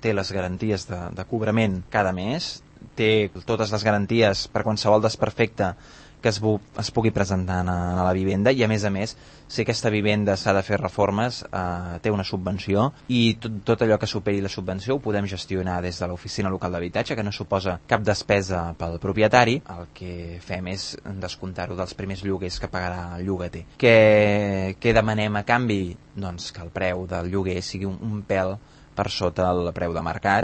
té les garanties de cobrament cada mes, té totes les garanties per qualsevol desperfecte que es pugui presentar a la vivenda, i a més, si aquesta vivenda s'ha de fer reformes, té una subvenció, i tot allò que superi la subvenció ho podem gestionar des de l'oficina local d'habitatge, que no suposa cap despesa pel propietari. El que fem és descomptar-ho dels primers lloguers que pagarà el llogater. Què demanem a canvi? Doncs que el preu del lloguer sigui un pèl per sota el preu de mercat.